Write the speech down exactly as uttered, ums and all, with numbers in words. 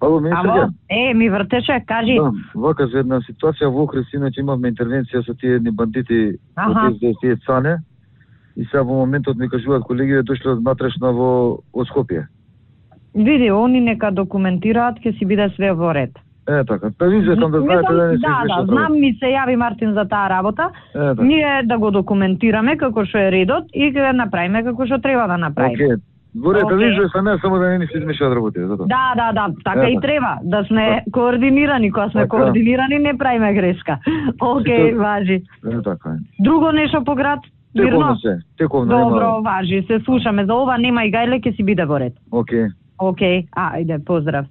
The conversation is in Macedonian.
Ало, министерке? Ало, е, ми вртеше, кажи. Да, вака за една ситуација во Охрид, иначе имавме интервенција со тие едни бандити, Аха. од тие цане, и сега во моментот ми кажуваат колеги дошле од натрешна во од Скопје. Види, они нека документираат, ќе си биде све во ред. Е, така. Па ви сакам да знаете да не се Да, да, знам, ми се јави Мартин за таа работа. Е, така. Ние да го документираме како што е редот и ќе направиме како што треба да направиме. Океј. Во ред, Океј. вижу са не само да не ни се измешаат работите, затоа. Да, да, да, така Е, и така. треба, да сме координирани, кога сме Така. координирани не правиме грешка. Океј, Сето- важи. Е, така е. Друго нешто по град? Тековно Мирно? се, тековно Добро, нема. важи, се слушаме за ова, нема и гајле, ќе си биде во ред. Океј. Океј, ајде, поздрав.